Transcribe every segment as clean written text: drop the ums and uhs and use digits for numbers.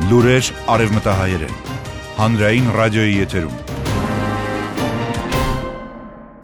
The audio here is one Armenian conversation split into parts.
Լուրեր արևմտահայերեն, հանրային ռադիոյի եթերում։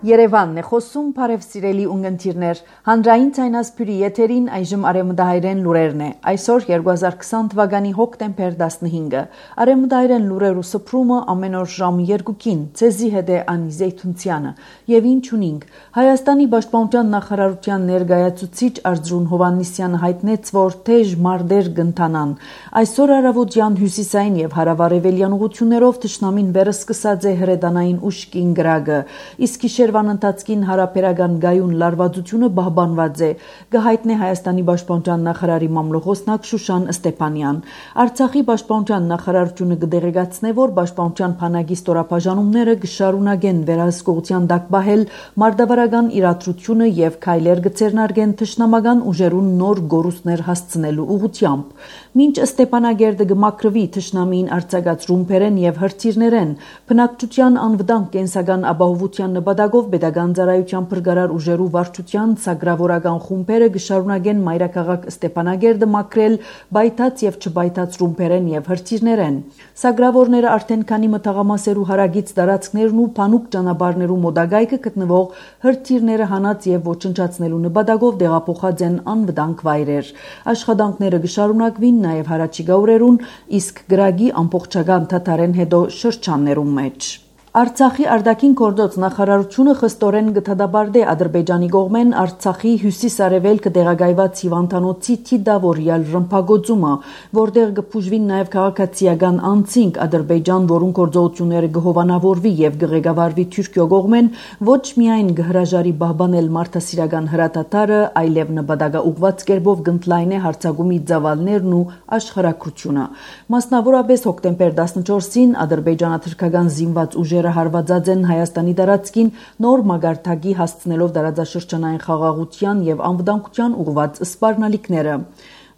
Երևանն է խոսում, բարև սիրելի ունգընտիրներ, հանրային ցայնասպյուրի եթերին այժմ արևմտահայերեն լուրերն է, այսօր 2020 թվականի հոկտեմբեր 15-ը, արևմտահայերեն լուրերու սփռումը ամեն օր ժամը 2-ին, ցեզի հետ է Անի Զեյթունցյանը, եւ ինչ ունինք, Հայաստանի Պաշտպանության նախարարության ներկայացուցիչ Արծրուն Հովհաննիսյանը հայտնեց, որ թեժ մարտեր կընթանան, այսօր առավոտյան հյուսիսային եւ հարավարևելյան ուղություններով թշնամին վերսկսած է հրետանային ուշքին գրագը, իսկ ընթացքին հարաբերական գայուն լարվածությունը պահպանված է, կհայտնի Հայաստանի Պաշտպանության նախարարի մամլոխոսնակ Շուշան Ստեփանյան։ Արցախի Պաշտպանության նախարարությունը կդեղեկացնե, որ Պաշտպանության բանակի ստորաբաժանումները կշարունակեն վերահսկողության տակ պահել մարտավարական իրադրությունը եւ քայլեր կձեռնարկեն թշնամական ուժերուն նոր գորուստներ հասցնելու ուղղությամբ։ Մինչ Ստեփանագերդը կմաքրվի թշնամին արձակած ռումբերեն եւ հրթիռներեն, բնակչության անվտանգ կենսական ապահովության նպատակով Պետական ծառայության փրկարար ուժերու վարչության սագրավորական խումբերը կշարունակեն մայրաքաղաք Ստեփանագերդը մաքրել բայթած եւ չբայթած ռումբերեն եւ հրթիռներեն։ Սագրավորները արդեն քանի մտաղամասերու հարագից տարածքներն ու փանուկ ճանապարհներու մոտակայքը գտնվող հրթիռները հանած եւ ոչնչացնելու նպատակով տեղափոխած են անվտանգ վայրեր։ Աշխատանքները կշարունակվին նաեւ հարաճիգա օրերուն, իսկ գրագի ամբողջական դադարեն հետո շրջաններում մեջ։ Արցախի արտաքին գործոց նախարարությունը խստորեն կդադարեցնի Ադրբեջանի կողմեն Արցախի հյուսիս-արևելքը տեղակայված հիվանդանոցի թիդավորյալ ռմբագործումը, որտեղ կփուժվին նաև քաղաքացիական անձինք Ադրբեջան, որուն գործողությունները կհովանավորվի եւ կղեկավարվի Թուրքիո կողմեն, ոչ միայն կհրաժարի պահպանել մարդասիրական հրադադարը, այլև նպատակաուղված կերպով կընդլայնի հարձակումի ծավալներն ու աշխարհակրությունը։ Մասնավորապես հոկտեմբեր 14-ին ադրբեջանա-թուրքական զինված ուժերը հարվածած են Հայաստանի տարածքին նոր մագարտակի հասցնելով տարածաշրջանային խաղաղության եւ անվտանգության ուղղված սպառնալիքները։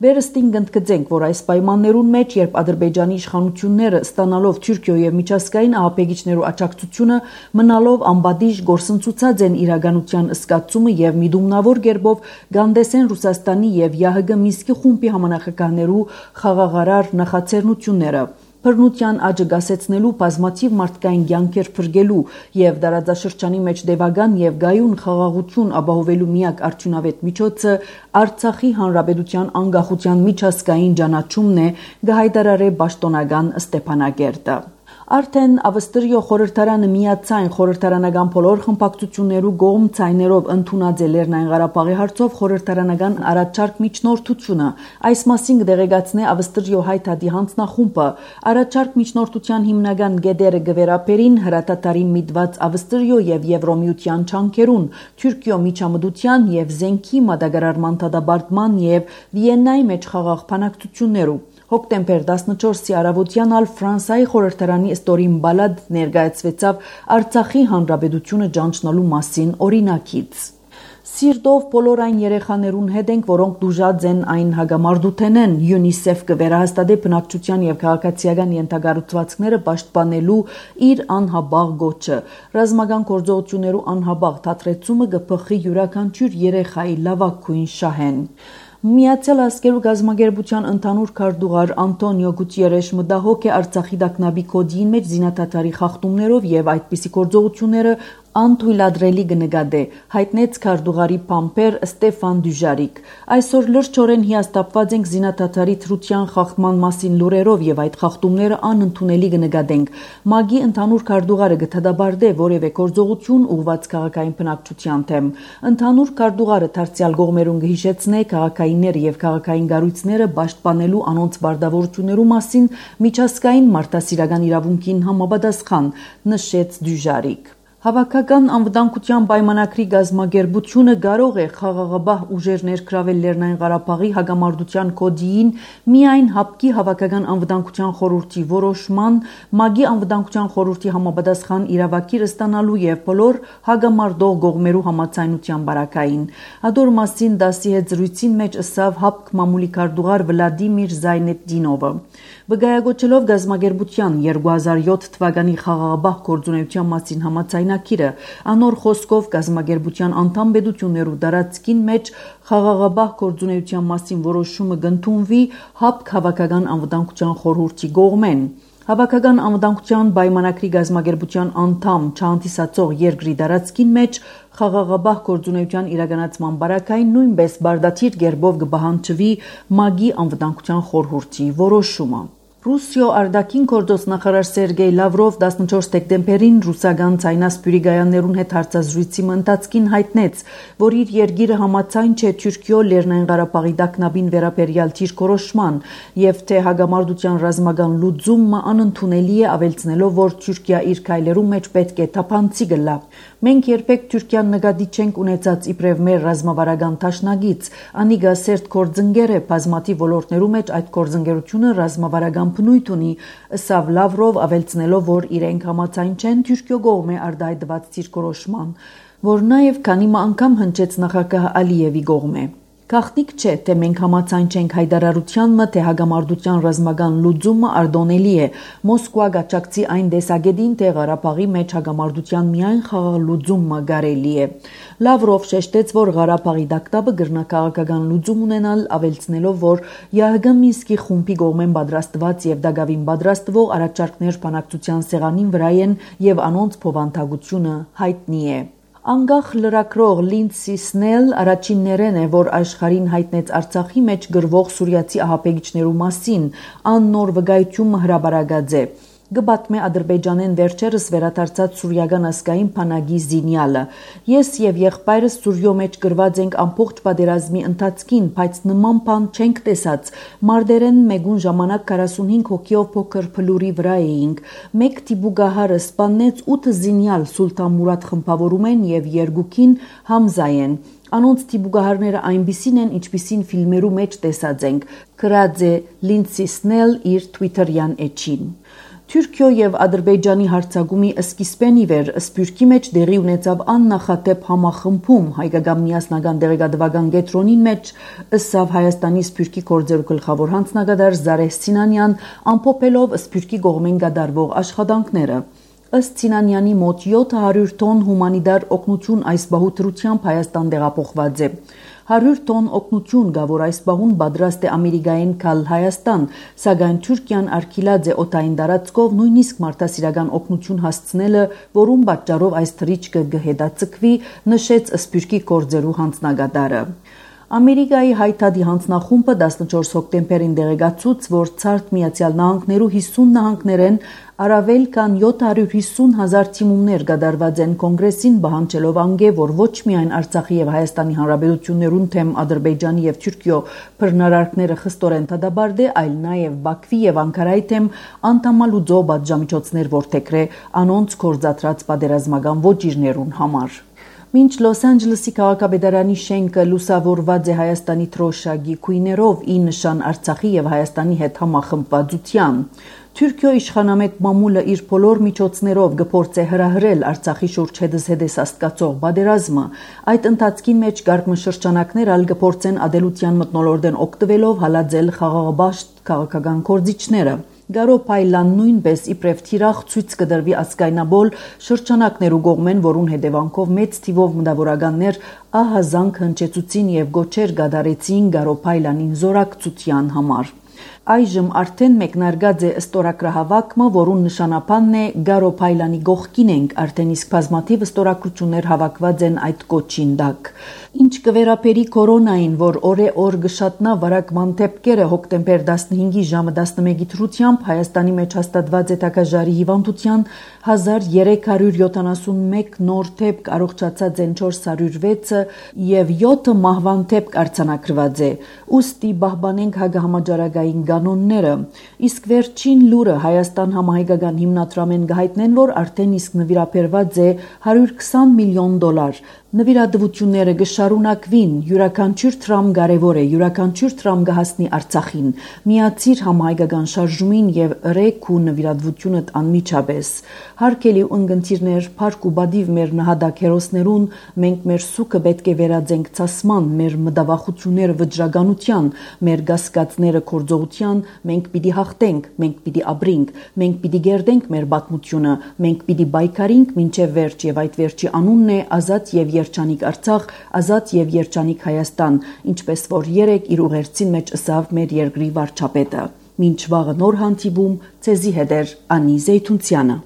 Վերստին կընդգծենք, որ այս պայմաններուն մեջ, երբ Ադրբեջանի իշխանությունները ստանալով Թուրքիո եւ միջազգային ահաբեկիչներու աջակցությունը մնալով անբադիժ գործընծուցած են իրականության ըսկացումը եւ միդումնավոր կերպով գանդեսեն Ռուսաստանի եւ ՀՀԳ Մինսկի խումբի համանախագահներու խաղաղարար նախաձեռնությունները։ Բռնության աճը գասեցնելու բազմաթիվ մարդկային կյանքեր փրկելու եւ տարածաշրջանի մեջ դեպական եւ գայուն խաղաղություն ապահովելու միակ արդյունավետ միջոցը Արցախի հանրապետության անկախության միջազգային ճանաչումն է, գահայտարարե պաշտոնական Ստեփանագերդը։ Արդեն Ավստրիո խորհրդարանը միացայն խորհրդարանական բոլոր խմբակցություններու կողմ ցայներով ընդունած է Լեռնային Ղարաբաղի հարցով խորհրդարանական առաջարկ միջնորդությունը։ Այս մասին կդեղեկացնե Ավստրիո հայտարարի հանձնախումբը։ Առաջարկ միջնորդության հիմնական գեդերը գվերապերին հրատատարի միտված Ավստրիո եւ Եվրոմիության չանքերուն, Թուրքիո միջամտության եւ զենքի մատակարարման դադարման եւ Վիեննայի մեջ խաղաղ բանակցություններու։ Հոկտեմբեր 14-ի առավոտյան ալ Ֆրանսիայի խորհրդարանի ստորին բալադ ներկայացվեցավ Արցախի հանրապետությունը ճանչնալու մասին օրինակից։ Սիրտով բոլոր այն երեխաներուն հետ ենք, որոնք դուժած են այն հագամարտութենեն, ՅՈՒՆԻՍԵՖ կվերահաստատի բնակչության եւ քաղաքացիական ենթակառուցվածքները պաշտպանելու իր անհաբաղ գոչը։ Ռազմական գործողություններու անհաբաղ դադրեցումը կփխի յուրաքանչյուր երեխայի լավագույն շահեն։ Միացյալ Ազգերու գազագերբության ընդհանուր քարտուղար Անտոնիո Գուտիերեշ մտահոգ է Արցախի տագնապի կոդին մեջ զինադադարի խախտումներով եւ այդպիսի գործողությունները անթույլատրելի կնկատե, հայտնեց քարտուղարի փամփեր Ստեփան Դյուժարիկ։ Այսօր լրջորեն հիասթափված ենք զինադադարի թրության խախտման մասին լուրերով եւ այդ խախտումները անընդունելի կնկատենք։ ՄԱԳ-ի ընդհանուր քարտուղարը կդադարեցնե որևէ գործողություն ուղղված քաղաքային բնակչության դեմ։ Ընդհանուր քարտուղարը դարձյալ կողմերուն կհիշեցնե քաղաքայինները եւ քաղաքային կառույցները պաշտպանելու անոնց բարդավորություններու մասին միջազգային մարդասիրական իրավունքին համապատասխան, նշեց Դյուժարիկ։ Հավաքական անվտանգության պայմանագրի գազագերբությունը կարող է խաղաղապահ ուժեր ներգրավել Լեռնային Ղարաբաղի հակամարտության կոդիին միայն ՀԱՊԿ-ի հավաքական անվտանգության խորհրդի որոշման, ՄԱԳ-ի անվտանգության խորհրդի համապատասխան իրավակիրը ստանալու եւ բոլոր հակամարտող կողմերու համաձայնության բարակային։ Ադոր մասին դասի հետ զրույցին մեջ ըսավ ՀԱՊԿ մամուլի քարտուղար Վլադիմիր Զայնետդինովը։ Վկայակոչելով գազագերբության 2007 թվականի խաղաղապահ գործունեության մասին համաձայնագրին օրինակիրը, անոր խոսքով կազմակերպության անդամ պետություններու դարածքին մեջ խաղաղաբահ գործունեության մասին որոշումը կընդունվի ՀԱՊԿ Հավաքական անվտանգության խորհրդի կողմեն։ Հավաքական անվտանգության պայմանագրի կազմակերպության անդամ չհանդիսացող երկրի դարածքին մեջ խաղաղաբահ գործունեության իրականացման բարակային նույնպես բարդաթիր կերպով կպահանջվի ՄԱԿ-ի անվտանգության խորհրդի որոշումը։ Ռուսիո արտաքին գործոստ նախարար Սերգեյ Լավրով 14 դեկտեմբերին ռուսական ցայնասպյուրի գայաններուն հետ հարցազրույցի ընթացքին հայտնեց, որ իր երկիրը համաձայն չէ Թուրքիո Լեռնային Ղարաբաղի տագնապին վերաբերյալ դիրքորոշման եւ թե հագամարտության ռազմական լուծումը անընդունելի է, ավելցնելով, որ Թուրքիա իր քայլերու մեջ պետք է թափանցի գլա։ Մենք երբեք Թուրքիան նկատի չենք ունեցած իբրև մեր ռազմավարական դաշնակից, անիկա սերտ գործընկեր է բազմաթիվ ոլորտներու մեջ այդ գործընկերությունը ռազմավարական բնույթ ունի, ըսավ Լավրով, ավելցնելով, որ իրենք համաձայն չեն Թուրքիո կողմէ արտահայտված դիրքորոշման, որ նաև քանի անգամ հնչեց նախագահ Ալիևի կողմէ։ Գաղտնիք չէ, թե մենք համաձայն չենք հայտարարությանը, թե հագամարտության ռազմական լուծումը արտոնելի է։ Մոսկվա գաչակցի այն տեսակետին, թե Ղարաբաղի մեջ հագամարտության միայն խաղաղ լուծումը կարելի է։ Լավրով շեշտեց, որ Ղարաբաղի տագնապը գրնակաղակական լուծում ունենալ, ավելցնելով, որ ԵԱՀԿ Մինսկի խումբի կողմեն պատրաստված եւ դակավին պատրաստվող առաջարկներ բանակցության սեղանին վրա են եւ անոնց փոխանցությունը հայտնի է։ Անկախ լրագրող Լինդսի Սնել առաջիններն է, որ աշխարհին հայտնեց Արցախի մեջ գրվող սուրիացի ահաբեկիչներու մասին, աննոր վկայությունը հրաբարակած է։ Գբատմե Ադրբեջանեն վերջերս վերադարձած սուրիական ասկային բանակի զինյալը։ Ես եւ եղբայրս Սուրիո մեջ գրված ենք ամբողջ պատերազմի ընթացքին, բայց նման բան չենք տեսած։ Մարտերեն մեգուն ժամանակ 45 հոգիով փոքր փլուրի վրա էինք։ Մեկ տիբուգահարը սպանեց 8 զինյալ Սուլտան Մուրադ խմբավորում են եւ երկուքին Համզա են։ Անոնց տիբուգահարները այնպիսին են, ինչպիսին ֆիլմերու մեջ տեսած ենք։ Գրած է Լինդսի Սնել իր Twitter-յան էջին։ Թուրքիո եւ Ադրբեջանի հարցակումի սկիզբեն ի վեր Սփյուռքի մեջ դեղի ունեցավ աննախադեպ համախմբում հայկական միասնական դեղեկատվական կենտրոնին մեջ, ըսավ Հայաստանի Սփյուռքի գործերու գլխավոր հանձնագետար Զարեհ Սինանյան, ամփոփելով Սփյուռքի կողմեն կատարվող աշխատանքները։ Ըստ Սինանյանի մոտ 700 տոն հումանիտար օգնություն այս բահուտրությամբ Հայաստան տեղափոխված է։ 100 տոն օգնություն կա, որ այս բահուն պատրաստ է Ամերիկային գալ Հայաստան, սակայն Թուրքիան արգելած է օտային տարածքով նույնիսկ մարդասիրական օգնություն հասցնելը, որում պատճառով այս թռիչքը կհետաձգվի, նշեց Սփյուռքի գործերու հանձնագետարը։ Ամերիկայի հայտարարի հանձնախումբը 14 հոկտեմբերին դեղեկացուց, որ Ցարտ Միացյալ Նահանգներու 50 նահանգներեն առավել քան 750,000 թիմումներ կատարված են կոնգրեսին պահանջելով անգե, որ ոչ միայն Արցախի եւ Հայաստանի Հանրապետություններուն թեմ Ադրբեջանի եւ Թուրքիո բռնարարքները խստորեն դադարեցե, այլ նաեւ Բաքվի եւ Անկարայի թեմ անդամալուծող պատժամիջոցներ որդեգրե անոնց կորզատրած պատերազմական ոճիրներուն համար։ Մինչ Լոս Անջելեսի քաղաքապետարանի շենքը լուսավորված է Հայաստանի թրոշակի քույներով ի նշան Արցախի եւ Հայաստանի հետ համախմբվածության, Թուրքիո իշխանամետ մամուլը իր բոլոր միջոցներով կփորձե հրահրել Արցախի շուրջ հետզհետե աստկացող պատերազմը, այդ ընթացքի մեջ կարգ շրջանակներ ալ կփորձեն ադելության մթնոլորտեն օգտվելով հալածել խաղաղաբաշտ քաղաքական կորձիչները։ Գարոփայլան նույնպես իբրև թիրախ ցույց կդրվի ասկայնաբոլ շրջանակներու կողմեն, որուն հետևանքով մեծ թիվով մտավորականներ ահազանգ հնչեցուցին եւ գոչեր գադարեցին Գարոփայլանին զորակցության համար։ Այժմ արդեն մեկնարկած է ստորագրահավաքումը, որուն նշանաբանն է Գարոփայլանի գողքին ենք, արդեն իսկ բազմաթիվ ստորագրություններ հավաքված են այդ կոչին տակ։ Ինչ կվերապերի կորոնային, որ օրե-օր գշատնա վարակման դեպքերը հոկտեմբեր 15-ի ժամը 11-ի դրությամբ Հայաստանի մեջ հաստատված է տակաժարի հիվանդության 1371 նոր դեպք, առողջացած են 406-ը եւ 7 մահվան դեպք արձանագրված է։ Ուստի պահպանենք հագահամաճարակային կանոնները, իսկ վերջին լուրը Հայաստան համահայկական հիմնադրամեն կհայտնեն, որ արդեն իսկ նվիրաբերված է $120 միլիոն, Նվիրատվությունները գշարունակվին, յուրաքանչյուր տրամ կարևոր է, յուրաքանչյուր տրամ կհասնի Արցախին։ Միացիր համահայկական շարժումին եւ ըրեք ու նվիրատվությունդ անմիջապես։ Հարգելի ունգընտիրներ, փառք ու բադիվ մեր նահատակ հերոսներուն, մենք մեր սուքը պետք է վերածենք ցասման, մեր մտավախությունները վճռականության, մեր գասկածները կորձողության, մենք պիտի հաղթենք, մենք պիտի ապրենք, մենք պիտի գերդենք մեր պատմությունը, մենք պիտի պայքարենք մինչև վերջ եւ այդ վերջի անունն է ազատ եւ երջանիկ Արցախ, ազատ եւ երջանիկ Հայաստան, ինչպես որ երեք իր ուղերձին մեջ ըսավ մեր երկրի վարչապետը։ Մինչ վաղը նոր հանդիպում, ցեզի հետ Անի Զեյթունցյանը։